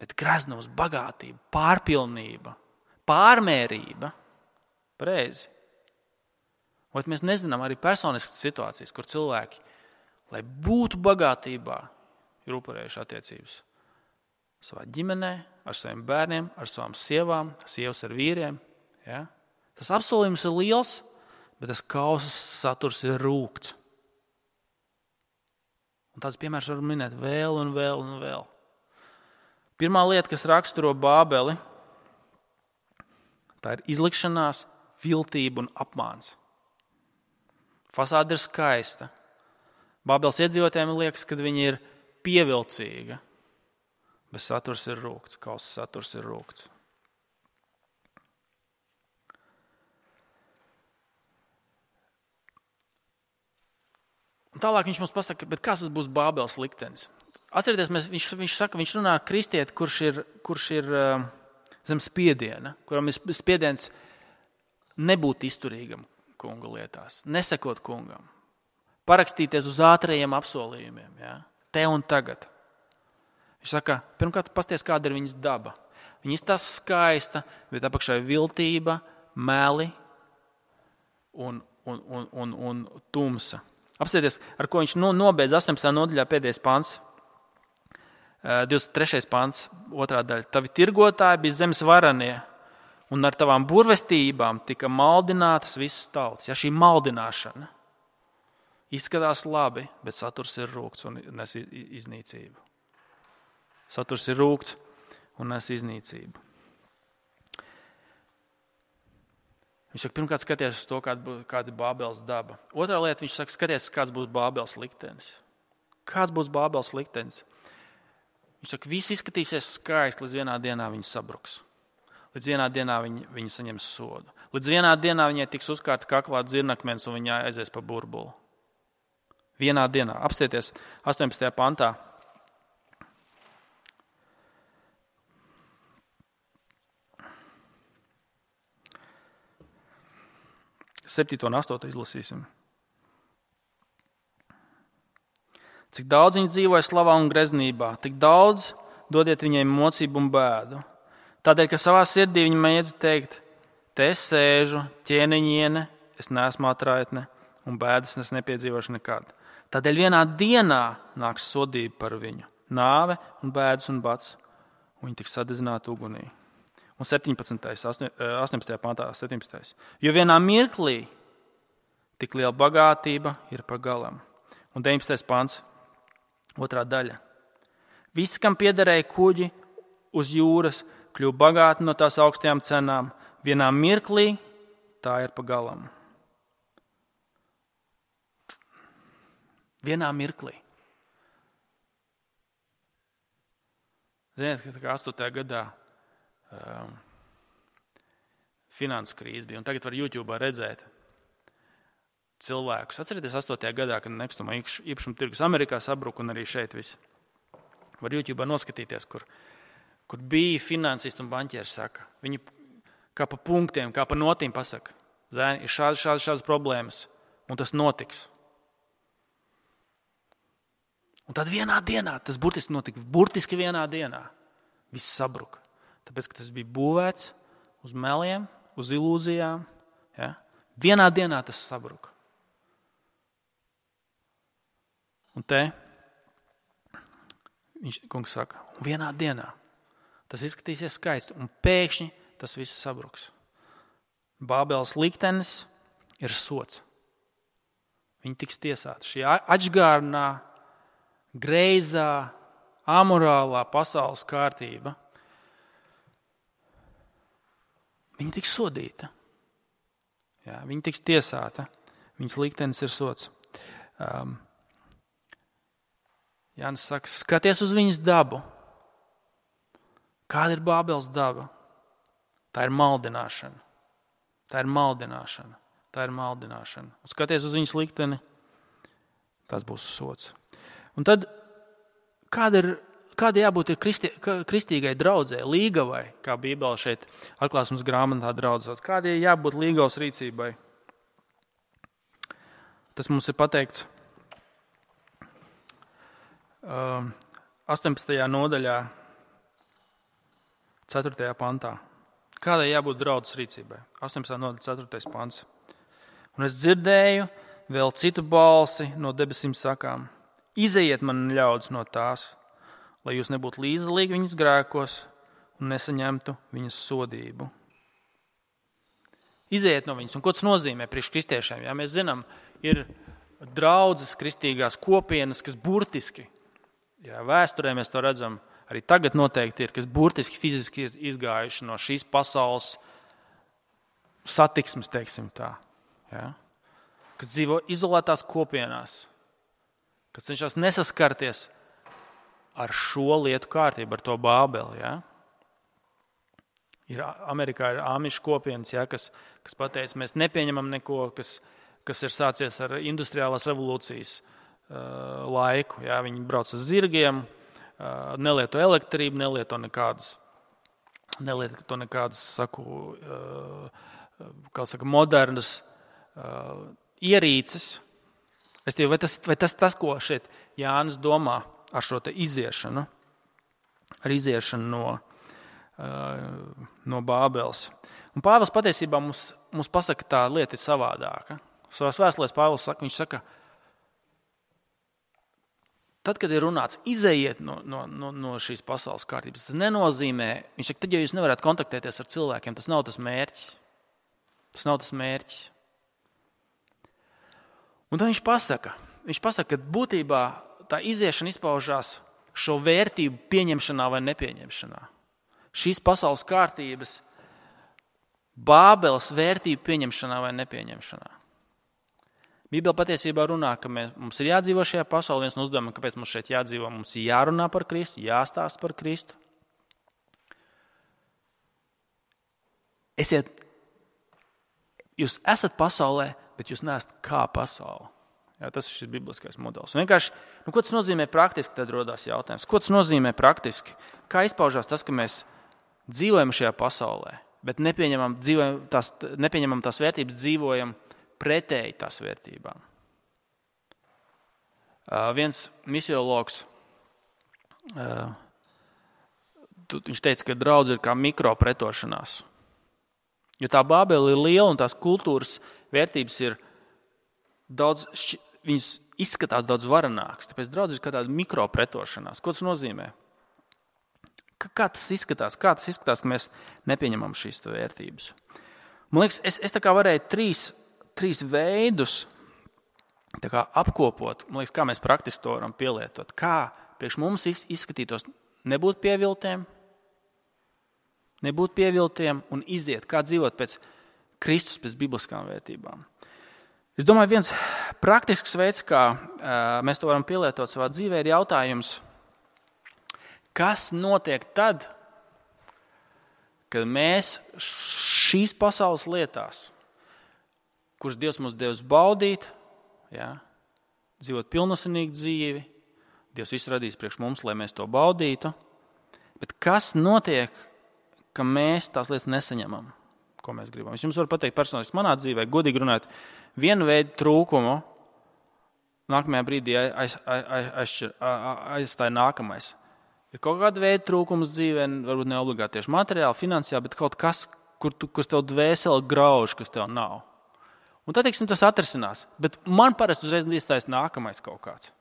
Bet greznums, bagātība, pārpilnība, pārmērība, pareizi. Vai mēs nezinām arī personiskas situācijas, kur cilvēki, lai būtu bagātībā, ir upurējuši attiecības savā ģimenē, ar saviem bērniem, ar savām sievām, sievas ar vīriem. Ja? Tas apsolījums ir liels, bet tas kausas saturs ir rūgts. Un tāds piemērs var minēt vēl un vēl un vēl. Pirmā lieta, kas raksturo Bābeli, tā ir izlikšanās, viltība un apmāns. Fasāde ir skaista. Bābeles iedzīvotājiem liekas, ka viņi ir pievilcīga, bet saturs ir rūgts, kausas saturs ir rūgts. Un tālāk viņš mums pasaka, bet kas tas būs Bābeles liktenis? Atcerieties, viņš runā ar kristieti, kurš ir zem spiediena, kuram ir spiediens nebūt izturīgam kunga lietās, nesakot kungam, parakstīties uz ātrajiem apsolījumiem, ja? Te un tagad. Viņš saka, pirmkārt, pasties, kāda ir viņas daba. Viņa izstās skaista, bet apakšā ir viltība, meli un tumsa. Apstieties, ar ko viņš nobeidz 18. nodaļā pēdējais pants. 23. pants, 2. daļa. Tavi tirgotāji bija zemes varanie, un ar tavām burvestībām tika maldinātas visas tautas. Ja, šī maldināšana. Izskatās labi, bet saturs ir rūgts un nes iznīcību. Saturs ir rūgts un nes iznīcību. Viņš saka, pirmkārt skaties uz to, kāda ir Bābeles daba. Otrā lieta, viņš saka, skaties, kāds būs Bābeles liktenis. Kāds būs Bābeles liktenis? Viņš saka, viss izskatīsies skaisti, līdz vienā dienā viņi sabruks. Līdz vienā dienā viņi saņems sodu. Līdz vienā dienā viņai tiks uzkārts kaklā dzirnakmens un viņa aizies pa burbuli. Vienā dienā. Apstieties 18. pantā. Septīto un 8. izlasīsim. Cik daudz viņi dzīvoja slavā un greznībā, tik daudz dodiet viņai mocību un bēdu. Tādēļ, ka savā sirdī viņi mēdz teikt, te es sēžu, ķēniņiene, es neesmu atraitne, un bēdas es nepiedzīvošu nekad. Tādēļ vienā dienā nāks sodība par viņu, nāve un bēdas un bats, un viņi tiks sadedzināti ugunī. Un 18. pantā, 17. Jo vienā mirklī tik liela bagātība ir par galam. Un 19. pants, 2. daļa. Visi, kam piederēja kuģi uz jūras, kļuva bagāti no tās augstajām cenām. Vienā mirklī tā ir par galam. Vienā mirklī. Ziniet, ka 8. gadā finanses krīze bija, un tagad var YouTube redzēt cilvēkus. Atcerieties 8. gadā, kad nekustamā īpašuma tirgus Amerikā sabruka un arī šeit viss. Var YouTube noskatīties, kur bija finansisti un banķieri saka. Viņi kā pa punktiem, kā pa notīm pasaka. Zēni, ir šādas problēmas, un tas notiks. Un tad vienā dienā, tas burtiski notika, burtiski vienā dienā, viss sabruka. Tāpēc, ka tas bija būvēts uz meliem, uz ilūzijām. Ja? Vienā dienā tas sabruka. Un te kungs saka, un vienā dienā tas izskatīsies skaisti, un pēkšņi tas viss sabruks. Bābeles liktenis ir sots. Viņi tiks tiesāti. Šī atžgārnā, greizā, amorālā pasaules kārtība, viņa tiks sodīta. Jā, viņa tiks tiesāta. Viņas liktenis ir sots. Jānis saka, skaties uz viņas dabu. Kāda ir Bābeles daba? Tā ir maldināšana. Tā ir maldināšana. Tā ir maldināšana. Un skaties uz viņas likteni, tas būs sots. Un tad, kāda jābūt ir kristīgai draudzē, līgavai, kā Bībele šeit atklāsmes grāmatā draudzās? Kāda jābūt līgavas rīcībai? Tas mums ir pateikts 18. nodaļā, 4. pantā. Kādai jābūt draudzes rīcībai? 18. nodaļa, 4. pants. Un es dzirdēju vēl citu balsi no debesīm sakām. Izejiet man ļaudis no tās, lai jūs nebūtu līdzdalīgi viņas grēkos un nesaņemtu viņas sodību. Izejiet no viņas. Un ko tas nozīmē priekš kristiešiem? Ja mēs zinām, ir draudzes kristīgās kopienas, kas burtiski, ja vēsturē mēs to redzam, arī tagad noteikti ir, kas burtiski fiziski ir izgājuši no šīs pasaules satiksmes, teiksim tā. Ja? Kas dzīvo izolētās kopienās, kas cenšas nesaskarties ar šo lietu kārtību, ar to Bābeli. Ja? Amerikā ir āmišu kopienas, ja, kas pateica, mēs nepieņemam neko, kas ir sācies ar industriālās revolūcijas laiku. Ja? Viņi brauc uz zirgiem, nelieto elektrību, nelieto nekādas modernas ierīces. Vai tas, ko šeit Jānis domā ar šo te iziešanu, ar iziešanu no Bābeles. Un Pāvils patiesībā mums pasaka, tā lieta ir savādāka. Savās vēstulēs Pāvils saka, viņš saka, tad, kad ir runāts, izejiet no šīs pasaules kārtības, tas nenozīmē, viņš saka, tad, ja jūs nevarat kontaktēties ar cilvēkiem, tas nav tas mērķis. Tas nav tas mērķis. Un tad viņš pasaka, ka būtībā tā iziešana izpaužās šo vērtību pieņemšanā vai nepieņemšanā. Šīs pasaules kārtības Bābeles vērtību pieņemšanā vai nepieņemšanā. Bībele patiesībā runā, ka mums ir jādzīvo šajā pasaulē. Viens no uzdevumiem, kāpēc mums šeit jādzīvo, mums ir jārunā par Kristu, jāstāsta par Kristu. Jūs esat pasaulē, bet jūs neesat kā pasaule. Jā, tas ir šis bibliskais modelis. Vienkārši, ko tas nozīmē praktiski, tad rodās jautājums. Ko tas nozīmē praktiski? Kā izpaužās tas, ka mēs dzīvojam šajā pasaulē, bet nepieņemam tās vērtības, dzīvojam pretēji tās vērtībām? Viens misiologs, viņš teica, ka draudze ir kā mikropretošanās. Jo tā Bābele ir liela un tās kultūras vērtības ir daudz, viņas izskatās daudz varenākas. Tāpēc draudze ir kā tāda mikropretošanās. Ko tas nozīmē? Kā tas izskatās? Kā tas izskatās, ka mēs nepieņemam šīs vērtības? Man liekas, es tā kā varēju trīs veidus tā kā apkopot. Man liekas, kā mēs praktiski to varam pielietot. Kā priekš mums izskatītos nebūt pieviltiem un iziet, kā dzīvot pēc Kristus, pēc bibliskām vērtībām. Es domāju, viens praktisks veids, kā mēs to varam pielietot savā dzīvē, ir jautājums, kas notiek tad, kad mēs šīs pasaules lietās, kuras Dievs mums devis baudīt, dzīvot pilnosinīgu dzīvi, Dievs visu radīs priekš mums, lai mēs to baudītu, bet kas notiek, ka mēs tās lietas nesaņemam, ko mēs gribam. Es jums varu pateikt personiski manā dzīvē, godīgi runāt, vienu veidu trūkumu nākamajā brīdī aizstāja nākamais. Ir kaut kāda veida trūkums dzīvē, varbūt ne obligāti tieši materiāli, finansiāli, bet kaut kas, kur tev dvēseli grauž, kas tev nav. Un tad, teiksim, tas atrisinās. Bet man parasti uzreiz iestājas nākamais kaut kāds.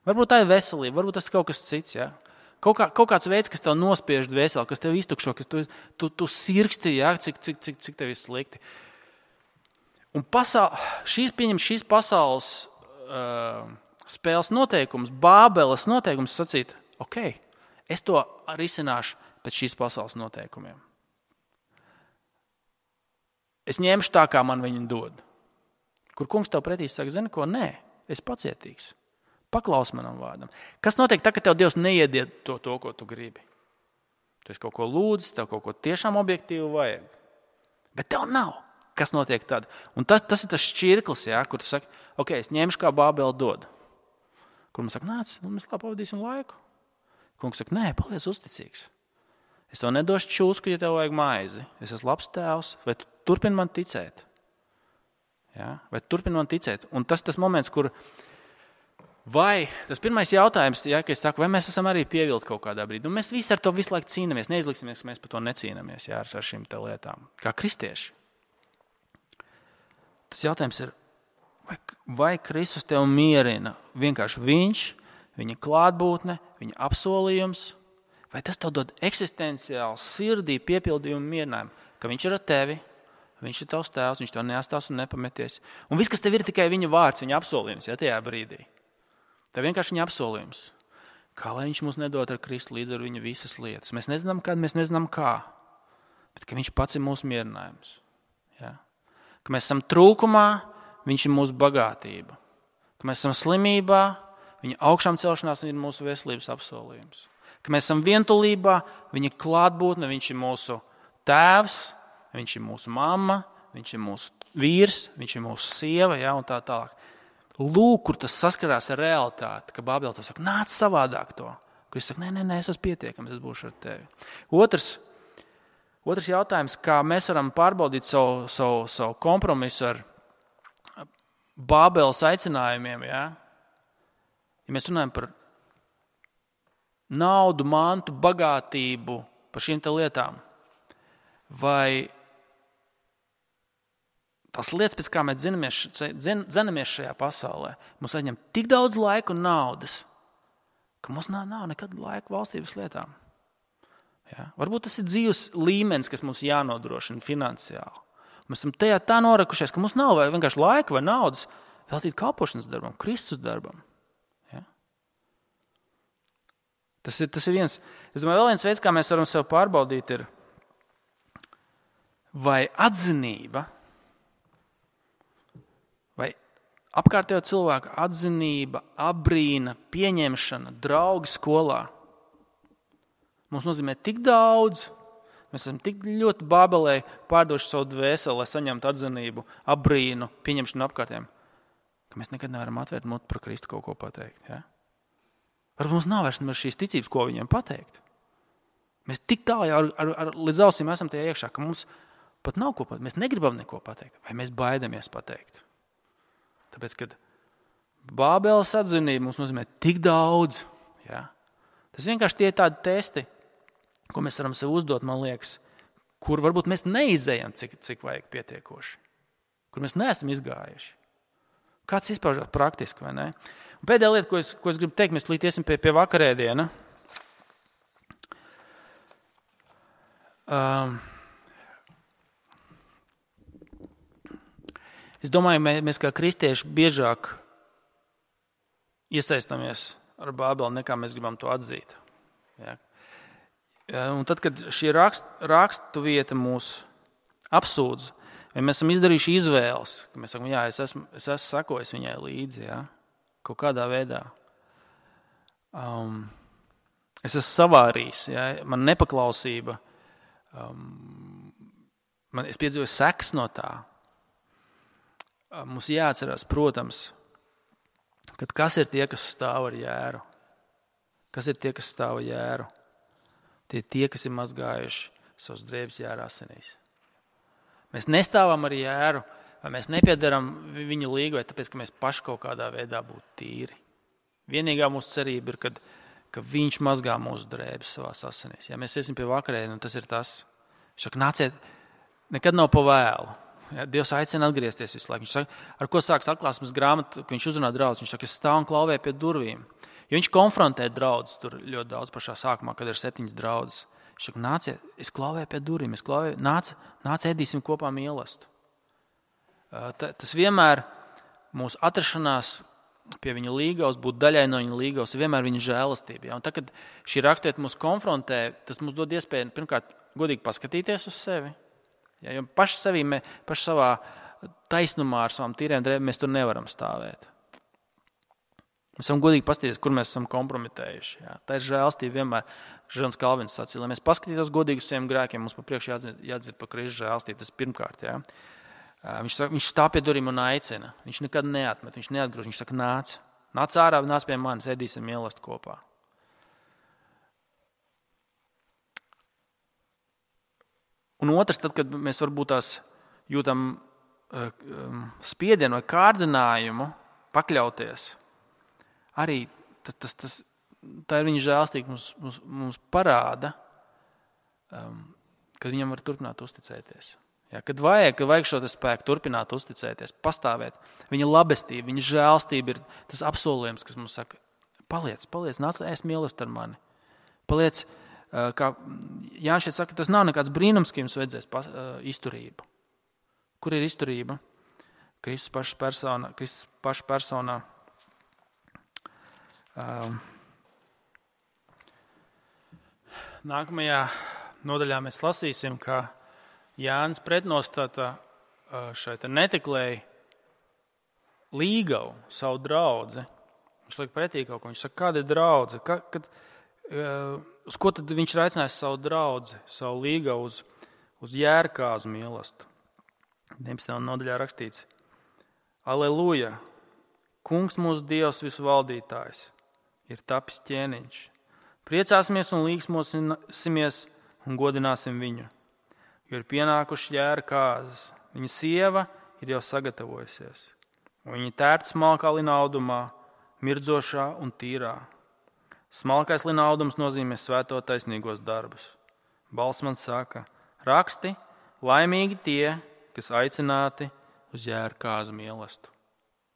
Varbūt tā ir veselība, varbūt tas ir kaut kas cits, ja? Kaut kāds veids, kas tev nospiež dvēseli, kas tev iztukšo, kas tu sirksti, ja? cik tev ir slikti. Un šīs pasaules spēles noteikums, Bābeles noteikums sacīt, ok, es to risināšu pēc šīs pasaules noteikumiem. Es ņemšu tā, kā man viņi dod. Kur kungs tev pretī saka, zini ko? Nē, es pacietīgs. Paklaus manam vārdam. Kas notiek tā, ka tev Dievs neiediet to, ko tu gribi? Tu esi kaut ko lūdzis, tev kaut ko tiešām objektīvi vajag. Bet tev nav. Kas notiek tad? Un tas ir tas šķirklis, kur tu saki, ok, es ņemšu, kā Bābele dod. Kur man saka, nāc, mēs labi pavadīsim laiku. Kungs saka, nē, paliec uzticīgs. Es tev nedošu čūsku, ja tev vajag maizi. Es esmu labs tēvs, vai tu turpini man ticēt? Vai turpini man ticēt? Un tas moments, kur vai tas pirmais jautājums, ka es saku, vai mēs esam arī pievilti kaut kādā brīdī. Un mēs visi ar to visu laiku cīnāmies, neizliksimies, ka mēs par to necīnāmies ar šīm te lietām. Kā kristieši. Tas jautājums ir, vai Kristus tev mierina vienkārši viņš, viņa klātbūtne, viņa apsolījums, vai tas tev dod eksistenciāli sirdī piepildījumu mierinājumu, ka viņš ir ar tevi, viņš ir tavs tēvs, viņš tev neatstās un nepameties. Un viss, kas tev ir tikai viņa vārds, viņa apsolījums, tajā brīdī. Tev vienkārši viņa apsolījums. Kā lai viņš mums nedod ar Kristu līdz ar viņu visas lietas. Mēs nezinām, kad, mēs nezinām kā. Bet ka viņš pats ir mūsu mierinājums. Ka mēs esam trūkumā, viņš ir mūsu bagātība. Ka mēs esam slimībā, viņa augšām celšanās ir mūsu veselības apsolījums. Ka mēs esam vientulībā, viņa klātbūtne, viņš ir mūsu tēvs, viņš ir mūsu mamma, viņš ir mūsu vīrs, viņš ir mūsu sieva, un tā tālāk. Lūk, kur tas saskarās ar realitāti, ka Bābele to saka, nāc savādāk to. Kur es saku, nē, es esmu pietiekams, es būšu ar tevi. Otrs jautājums, kā mēs varam pārbaudīt savu kompromisu ar Bābeles aicinājumiem, Ja mēs runājam par naudu, mantu, bagātību, par šīm te lietām, vai tās lietas, pēc kā mēs dzenamies šajā pasaulē, mums aizņem tik daudz laika un naudas, ka mums nav nekad laika valstības lietām. Varbūt tas ir dzīves līmenis, kas mums jānodrošina finansiāli. Mēs esam tajā tā norakušies, ka mums nav vienkārši laika vai naudas veltīt kalpošanas darbam, Kristus darbam. Ja? Tas ir viens. Es domāju, vēl viens veids, kā mēs varam sev pārbaudīt, ir, vai atzinība, vai apkārtējo cilvēku atzinība, abrīna, pieņemšana, draugi skolā mums nozīmē tik daudz, mēs esam tik ļoti bābelē pārdoši savu dvēseli, lai saņemtu atzinību, abrīnu, pieņemšanu apkārtējiem, ka mēs nekad nevaram atvērt muti par Kristu kaut ko pateikt. Ja? Varbūt mums nav vairs šīs ticības, ko viņiem pateikt. Mēs tik tālu jau līdz ausīm esam tajā iekšā, ka mums pat nav ko pateikt. Mēs negribam neko pateikt, vai mēs baidamies pateikt. Tāpēc, kad bābeles atzinība mums nozīmē tik daudz, ja? Tas vienkārši tie tādi testi, ko mēs varam sev uzdot, man liekas, kur varbūt mēs neizējam, cik vajag pietiekoši, kur mēs neesam izgājuši. Kāds izpaužās praktiski, vai ne? Un pēdējā lieta, ko es gribu teikt, mēs līdz iesim pie vakarēdiena. Es domāju, mēs kā kristieši biežāk iesaistāmies ar Bābeli, nekā mēs gribam to atzīt. Ja? Un tad, kad šī rakstu vieta mūs apsūdz, vai mēs esam izdarījuši izvēles, ka mēs sakam, jā, es esmu sakojis viņai līdzi, ja? Kaut kādā veidā. Es esmu savārījis, ja? Man nepaklausība, es piedzīvoju sekas no tā. Mums jāatcerās, protams, kad kas ir tie, kas stāv ar jēru? Kas ir tie, kas stāv ar jēru? Tie, kas ir mazgājuši savus drēbes jēra asinīs. Mēs nestāvam ar jēru, vai mēs nepiedaram viņa līgai, tāpēc, ka mēs paši kaut kādā veidā būtu tīri. Vienīgā mūsu cerība ir, ka viņš mazgā mūsu drēbes savās asinīs. Ja mēs iesim pie vakarēdiena, tas ir tas. Viņš saka, nāciet, nekad nav pa vēlu. Ja, Dievs aicina atgriezties visu laiku. Viņš saka, ar ko sāks atklāsmes grāmatu, ka viņš uzrunā draudz. Viņš saka, es stāvu un klauvēju pie durvīm. Jo viņš konfrontē draudzes tur ļoti daudz pašā sākumā, kad ir 7 draudzes. Viņš saka, nāciet, es klauvēju pie durvīm, nāc ēdīsim kopā mīlestību. Tas vienmēr mūsu atrašanās pie viņa līgavas, būt daļai no viņa līgavas, ir vienmēr viņa žēlastība. Ja? Un tad, kad šī rakstiet mūs konfrontē, tas mums dod iespēju pirmkārt godīgi paskatīties uz sevi. Ja? Jo paši savā taisnumā ar savām tīriem drēbēm mēs tur nevaram stāvēt. Mēs varam godīgi paskatīties, kur mēs esam kompromitējuši. Jā. Tā ir žēlastība vienmēr. Žans Kalvins sacīja, lai mēs paskatītos godīgi uz saviem grēkiem, mums pa priekšu jādzird par Kristus žēlastību. Tas pirmkārt. Jā. Viņš stāv pie durvīm un aicina. Viņš nekad neatmet, viņš neatgrūž. Viņš saka, nāc ārā, nāc pie manis, ēdīsim mīlestību kopā. Un otrs, tad, kad mēs varbūt tās jūtam spiedienu vai kārdinājumu pakļauties, arī tā ir viņa žēlastība mums parāda, ka viņam var turpināt uzticēties. Ja, kad vajag šo spēku turpināt uzticēties, pastāvēt, viņa labestība, viņa žēlastība ir tas apsolījums, kas mums saka, paliec, nāc, ēst mīlestību ar mani. Paliec, kā Jānis šeit saka, tas nav nekāds brīnums, ka jums vajadzēs izturību. Kur ir izturība? Kristus paša personā. Nākamajā nodaļā mēs lasīsim, ka Jānis pretnostata šai neteklēji līgavu savu draudzi. Viņš liek pretī kaut ko. Viņš saka, kāda ir draudze? Uz ko tad viņš ir aicinājis savu draudzi, savu līgavu uz jērkāzu mīlestību? 19. nodaļā rakstīts: Aleluja! Kungs mūsu Dievs visu valdītājs ir tapis ķēniņš. Priecāsimies un līksmosimies un godināsim viņu, jo ir pienākuši jēra kāzas. Viņa sieva ir jau sagatavojusies, un viņa tērta smalkā linaudumā, mirdzošā un tīrā. Smalkais linaudums nozīmē svēto taisnīgos darbus. Balss man saka, raksti, laimīgi tie, kas aicināti uz jēra kāzu mīlestību.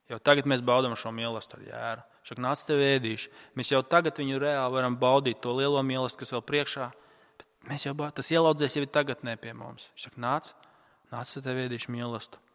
Jau tagad mēs baudām šo mīlestību ar jēru. Šak nāc tev ēdīšu. Mēs jau tagad viņu reāli varam baudīt, to lielo mīlestību, kas vēl priekšā. Bet tas ielaudzies jau ir tagadnē pie mums. Šak nāc tev ēdīšu mīlestību.